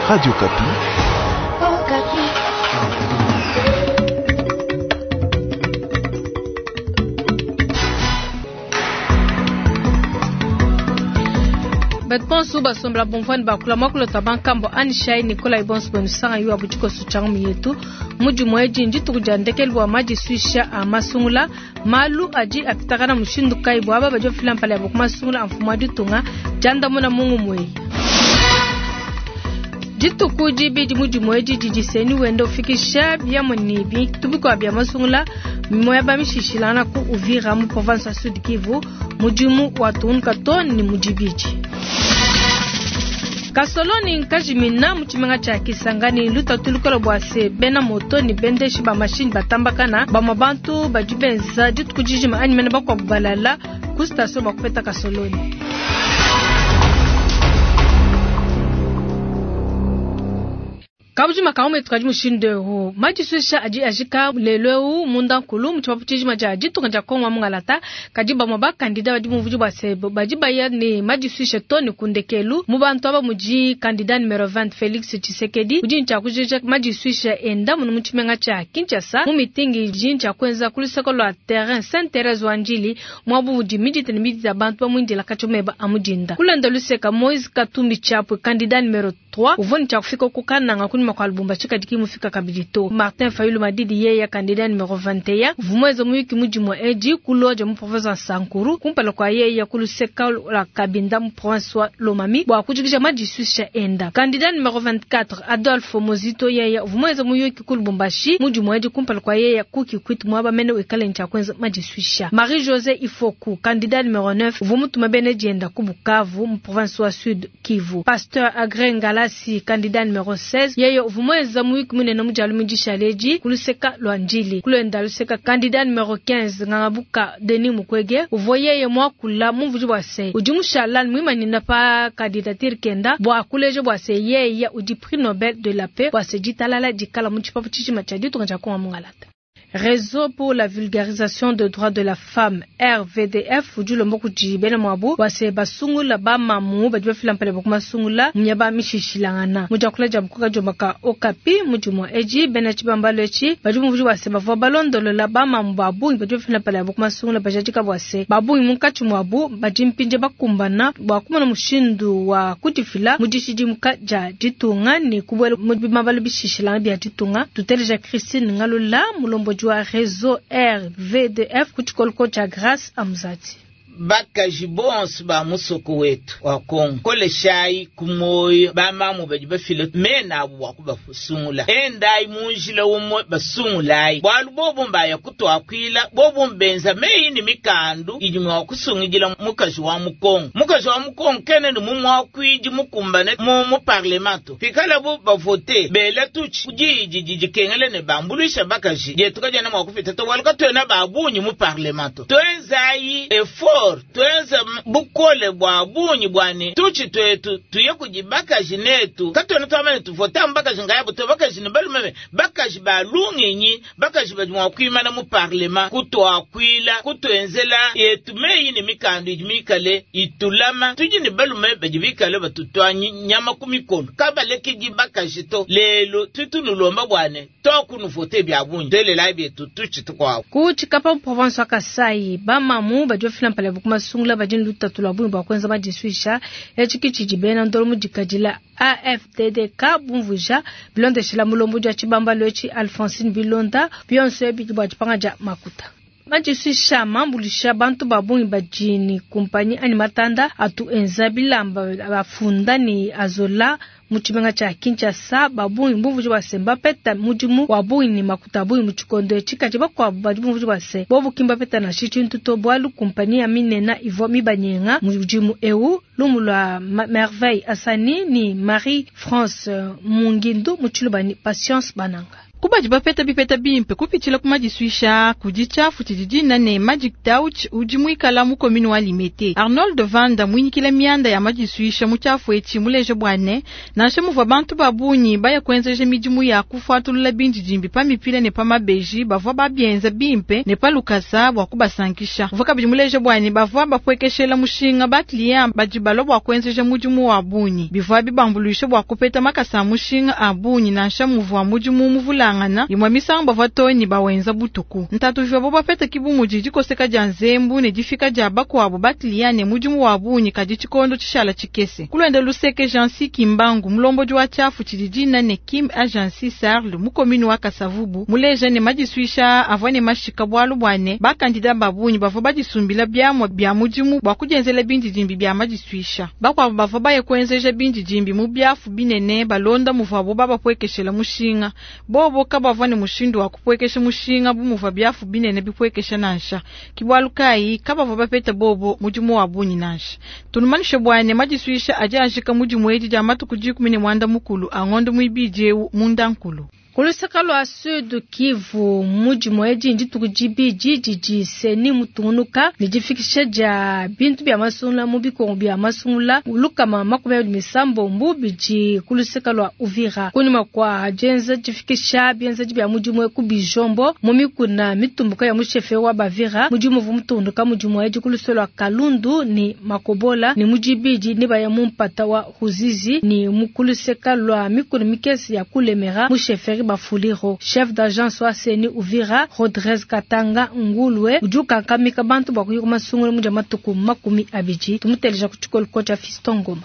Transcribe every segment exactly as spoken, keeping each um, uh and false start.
Radio Okapi. Okapi. Bato bonso basombela bomvwani bakula mwakulota bankambo anishai Nikolai bonso benusanga yu abutshikoso tshangu yetu mudimu edi ndituku dia ndekelu bua madisuisha a masungula malu adi apitakana mushindu kayi bua aba badi bafila mpala yabo ku masungula a mfumu wa ditunga diandamuna mungu mweyi. Dituku dibidi mudimu edi didi seni wenda ufikisha biamua ne bintu bikuabu bia masungula miaba mishishilangana ku Uvira mu province ya Sud Kivu mudimu watungunuka too ne mu dibidi. Kasoloni nkajimina mu tshimenga tshia Kisangani lutatu lukola bua se bena moto ne bendeshi ba mashini batambakana bamue bantu badi benza dituku dijima anyi mene bakuabu balala ku station bua kupeta kasoloni. Kabujima kamu etu kadi mushindu eu madisuisha adi ajika lelu eu munda nkulu mu tshipapu tshijima dia ditunga dia Kongo wa mungalata kadi bamue bakandida badi bumvudi bua se badi baya ne madisuisha too ne ku ndekelu mu bantu aba mudi kandida numero vingt Felix Tshisekedi udi ntshia kujija madisuisha enda munu mu tshimenga tshia Kinshasa mu mitingi idi ntshia kuenza ku luseke lua terrain Saint Therese wa Ndjili muabu udi midita ne midita bantu bamuindila katshia meba a mudinda kulenda luseka Moise Katumbi Chapwe kandida numero trois uvua ntshia kufika ku Kananga kunyima kwa Lubumbashi kadi kimufika kabidi to. Martin Fayulu Madidi yeye kandida numero vingt et un vumweze muyuki mudimu edi kuloja mu province wa Sankuru kumpala kwa yeye kuluseka la Kabinda mu province wa Lomami bua kujikija madisuisha enda. Kandida numero vingt-quatre Adolphe Mozito yeye vumweze muyuki ku Lubumbashi mudimu edi kumpala kwa yeye ku Kikwit mwaba mene wikale ncha kwenza madisuisha. Marie José Ifoku kandida numero neuf vumutuma bene dienda ku Bukavu mu province wa Sud Kivu. Pasteur Agré Ngalasi kandida numero seize yeye vumweza muyuki munene mujalu mudishaleji kuluseka lwa Ndjili kulenda luseka kandida numero quinze Ngangabuka Denis Mukwege uvua yeye mwakula mumvudi bua se udi mushala mwimanina pa candidature kenda bua kuleja bua se yeye udi prix Nobel de la paix bua se ditalala dikala mu tshipapu tshijima tshia ditunga dia Kongo mungalata. Réseau pour la vulgarisation des droits de la femme R V D F udi ulomba kudi bena muabu bua se basungula bamamu badi bafila mpala bua kumasungula miaba mishishilangana mu diakula dia bukoka diomaka Okapi mudimu edi bena tshibambalo etshi badi bumvudi bua se bavua balondolola bamamu ba bungi badi bafila mpala bua kumasungula bajadika bua se ba bungi munkatshi muabu badi mpindie bakumbana bua kumona mushindu wa kudifila mu dishidimuka dia ditunga ne kubuela mu bimabalo bishishilangana bia ditunga. Tuteleja Christine Ngalula mulombo wa réseau R V D F ku tshikoloko tshia Grâce Amzati. Bakaji bonso ba musoko wetu wa Kongo koleshai kumoyo bamamu badi bafile mena abu bua kubasungula endai munjila umwe basungulai bwalu bobo mbaya kutwakwila bobo mbenza meyi ni mikandu idi mwa kusungidila mukaji wa mukongo mukaji wa mukongo kene ni mumwakwidi mukumbane mu mu parlemento pikala bo bavote bela tuchi kudidi didikengele ne bambuluisha bakaji dietu kadiena mua kupita to bwalu katuena babunyi mu parlemento twenzai effort twenza bukole bwa bunyi bwane tuchi twetu tuye kujibakaji netu katwena twamane tuvota mbakaji ngayabo to bakaji ne balume bakaji balungenyi bakaji badi mwa kuimana mu parlement kutwakwila kutwenzela yetu meyi ne mikandu idi mikale itulama tudi ne balume badi bikale batutwa nyama ku mikolo kabalekedi bakaji to lelo tutunulomba bwane tokunuvote bya bunyi twelela byetu tuchi tukwabo ku tshikapa mu province wa Kasai bamamu badi bafila mpala kumasungula badi lutatu lwa bungi bua kuenza madisuisha etshi tshidi bena ndolo mudikadila A F D D K bumvuja bilondeshela mulombo dia tshibambalo etshi Alphonsine Bilonda bionso ebi bua dipanga dia makuta. Madisuisha mambulisha bantu ba bungi badi ni kumpanyi anyi matanda atu enza bilamba bafunda ni azola mu tshimenga tshia Kinshasa ba bungi bumvuji bua se mbapeta mudimu wa bungi ni makuta bungi mu tshikondo etshi kadi bakuabu badi bumvuji bua se bobu ki mbapeta nansha tshintu to bualu kumpanyi ya minena ivua mibanyenga mudimu eu lumu lua Merveille Asani ni Marie France Mungindu mu tshiluba ni Patience Bananga. Kubadi bapeta bipeta bimpe kupitshila ku madisuisha kudi tshiafu tshidi dina ne Magic Touch udi muikala mu commune wa Limete. Arnold Vanda mwinyikila mianda ya madisuisha mu tshiafu etshi muleje bwane nansha muvua bantu babunyi baya kuenzeja midimu ya kufuatulula bindidimbi pa mipila ne pa mabeji bavua babienza bimpe ne pa lukasa bua kubasankisha. Uvua kabidi muleje bwane bavua bapwekeshela mushinga ba client badi balua bua kuenzeja mudimu wa bunyi bivua bibambuluisha bua kupeta makasa a mushinga a bunyi nansha muvua mudimu muvulangana imwe misango bavua toni bawenza butuku. Ntatu vivua bo bapeta kibu mudi dikoseka dia nzembu ne difika dia bakuabu ba client ne mudimu wa bunyi kadi tshikondo tshishala tshikese. Kulwenda luseke Jansi Kimbangu mulombodi wa tshiafu tshidi dina ne Kim Agency Sarl mu commune wa Kasavubu muleja ne madisuisha avua ne mashika bualu bwane bakandida babunyi bavua badisumbila biamua bia mudimu bua kudienzela bindidimbi bia madisuisha. Bakuabu bavua baye kuenzeja bindidimbi mu biafu binene balonda muvuabo babapwekeshela mushinga. Bobo kabavua ne mushindu wa kupwekesha mushinga bu muvua biafu binene bipwekesha nansha. Kibwalu kai kabavua bapeta bobo mudimu wa bunyi nansha. Tunumanishe bwane madisuisha adi ajika mudimu edi dia matuku dikumi ne mwanda mukulu angondo muibidi eu munda nkulu. Kulusaka lwa Sud Kivu mudimu edi ndituku dibidi didi seni mutungunuka ne difikisha dia bintu bia masungula mu bikongo bia masungula lukama makumi abidi misambombo bidi kulusaka lwa Uvira. Kunyima kwa dienza difikisha bienzedi bia mudimu ku bijombo mu mikuna mitumbuka ya mushefe wa Bavira mudimu uvua mutungunuka mudimu edi kulusaka lwa Kalundu ni Makobola ni mudibidi ne baya mu mpata wa Ruzizi ni mu kulusaka lwa mikuna mikese ya Kulemera mushefe Bafuliro. Chef d'agence wa Seni Uvira Rodriguez Katanga Ngulwe udi ukankamika bantu bua kuyika masungula mu dia matuku makumi abidi. Tumuteleja ku tshikolo cha Fiston Ngoma.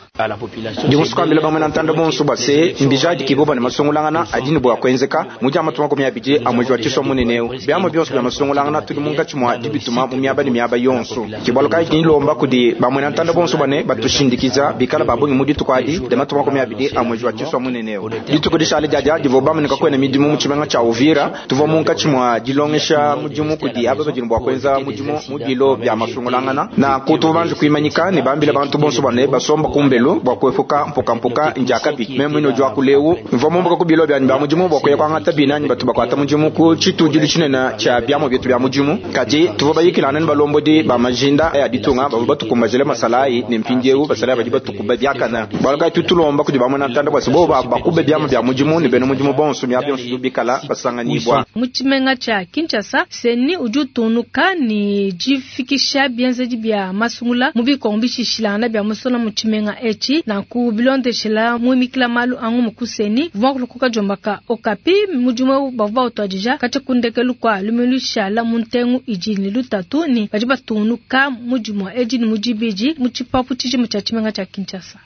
Ndimusukambila bamwe na ntanda bonso base mbijadi kiboba ne masungulangana adini bua kuenzeka mu dia matuku makumi abidi a mwezi wa tshiswa munene biamwe bionso bia masungulangana tudi munkatshi mua dibituma mu miaba ne miaba yonso. Kibalo kayi kinilomba kudi bamwe na ntanda bonso bane batushindikiza bikala babungi mu dituku adi dia matuku makumi abidi a mwezi wa tshiswa munene. Dituku dishale diadia divua bamanika kwena midimu mu tshimenga tsha Uvira tuvua munkatshi mua dilongesha mudimu kudi aba badini bua kuenza mudimu mu bilo bia masungulangana na kutu banji kuimanyika ne bambila bantu bonso bane basomba kumbelu bua kuepuka mpukampuka njakabi meme ino jwa kuleu mvua mumbuka ku bilo byanyi bya mudimu bua kuya kuangata binanyi batu bakwata mudimu ku tshitudilu tshinene tsha biamua bietu bia mudimu kadi tuvua bayikilana ne balombodi ba majinda ya ditunga bavua batukumbajile masalayi ne mpindieu basalayi badi batukuba biakana bualu kayi tutulomba kudi bamwe na ntanda bua bo bakube biamua bia mudimu ne bena mudimu bonso mia bionso bikala basanganyibwa. Mu tshimenga tsha Kinshasa Seni udi utunuka ne difikisha bienzedi bia masungula mu bikongo bishishilangana bia musola mu tshimenga etshi nanku bilondeshela muimikila malu angu mu Seni vua kulukuka jombaka Okapi mudimu bavua bautuadija katshia kundekelu kwa lumilu shala mu ntengu idi ne lutatu ni badi batunuka mudimu edi ne mudibidi mu tshipapu tshijima tshia tshimenga tshia Kinshasa.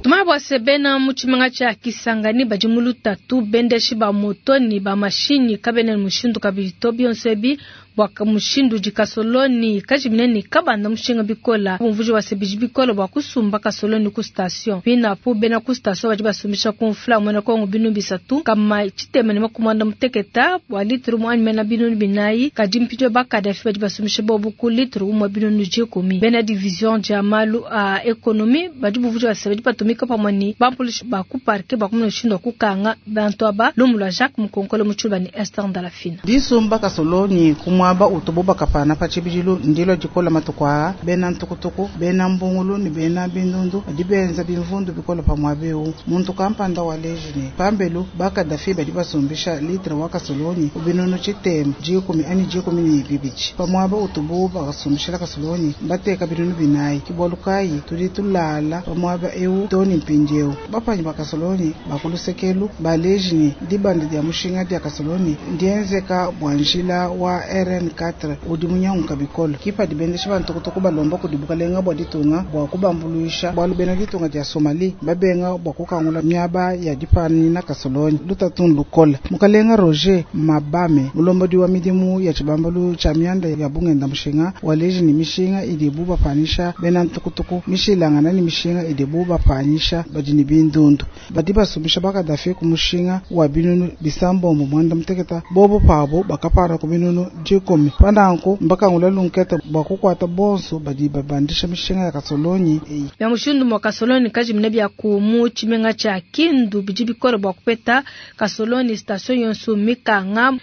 Tumabwa sebena mu tshimenga tshia Kisangani badi mu lutatu bendeshi ba moto ni ba mashinyi kabene mushindu kabidi to bionso ebi bua mushindu di kasoloni kajimine ni kabanda mushinga bikola umvuji wa sebiji bikola bua kusumba kasoloni ku station binapu bena ku station badi basumbisha ku mfula mwena kongo binu bisatu kama chitema ne makumanda muteketa bua litru mu mena binu binayi kadi mpidio bakadafi badi basumbisha bobu ku litru umwe binu nujikumi bena division dia malu a ekonomi badi buvuji wa sebiji batumika pamwe ni bampolisi ba ku parke ba kumuna mushindu wa kukanga bantu aba lumu lwa Jacques Mukonkole mutshuba ni Esther Ndalafina disumba kasoloni kumwaba utubu bakapana pa tshibidilu ndilo dikola matuku aa bena ntukutuku bena mbungulu ne bena bindundu badi benza bimvundu bikola pamwaba eu muntu kampanda wa leji ne pambelu bakadafi badi basumbisha litre wa kasoloni ubinunu tshitema dikumi ani dikumi ne bibidi pamwaba utubu bakasumbishila kasoloni bateka binunu binayi kibwalu kayi tudi tulala pamwaba eu toni mpindieu bapanyi bakasoloni bakulusekelu baleji ne dibanda dia mushinga dia kasoloni ndienzeka bua njila wa R N quatre udi munyanguka bikolo kipa dibendesha bantukutuku balomba kudi bukalenga bua ditunga bua kubambuluisha bualu bena ditunga dia Somali babenga bua kukangula miaba ya dipanina kasoloni lutatu lukola mukalenga Roger Mabame mulombodi wa midimu ya tshibambalu tshia mianda ya bungenda mushinga waleji ni mishinga idibu bapanisha bena ntukutuku mishilangana ni mishinga idibu bapanyisha badi ni bindundu badi basumbisha bakadafi ku mushinga wa binunu bisambombo mwanda muteketa bobo pabo bakapara ku binunu dikumi. Pananku mbakangula lunketa bua kukwata bonso badi babandisha mishinga ya kasolonyi eyi. Bia mushindu mwa kasolonyi kajimina bia ku mu tshimenga tshia Kindu bidi bikole bua kupeta kasolonyi station yonso mikanga.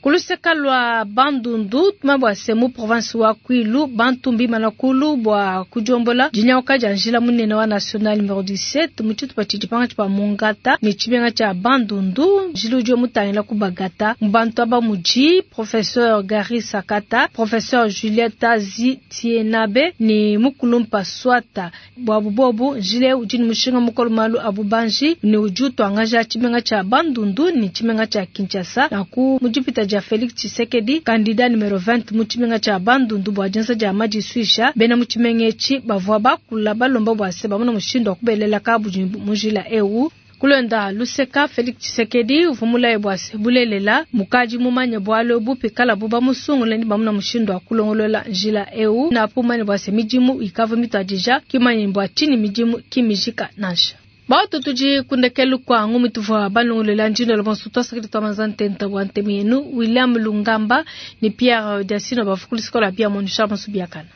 Kuluseka lwa Bandundu tumabwa se mu province wa Kwilu bantu mbimana kulu bwa kujombola dinyauka dia njila munene wa national numero dix-sept mu tshitupa tshidi pangatshi pa Mongata ne tshimenga tshia Bandundu njila udi mutangila ku Bagata. Mu bantu aba mudi professeur Gary Sakata, professeur Juliette Zitienabe ne Mukulumpa Swata. Bwa bubobu njila udi ne mushinga mukolo malu abu banji ne udi utuangaja tshimenga tshia Bandundu ne tshimenga tshia Kinshasa na ku mudipita dia Felix Tshisekedi candidat numero vingt mu tshimenga tshia Bandundu bwa dienza dia madisuisha bena mu tshimenga etshi bavua bakula balomba bwa se bamona mushindu wa kubelela kabudi mu njila eu. Kulonda luseka Felix Tshisekedi uvua mulaye bwa se bulelela mukaji mumanye bwalo bupi kala buba musungule ni bamona mushindu wa kulongolola njila eu na pumanye bwa se midimu ikava mitwadija kimanye bwa chini midimu kimijika nansha. Batu tudi kundekelu kwa ngumi tuvua balongolela njino lo bonso twasakidi twa manzantenta bwa ntemi yenu William Lungamba ni Pierre Diasino bafukuli sikola bia monusha masu biakana.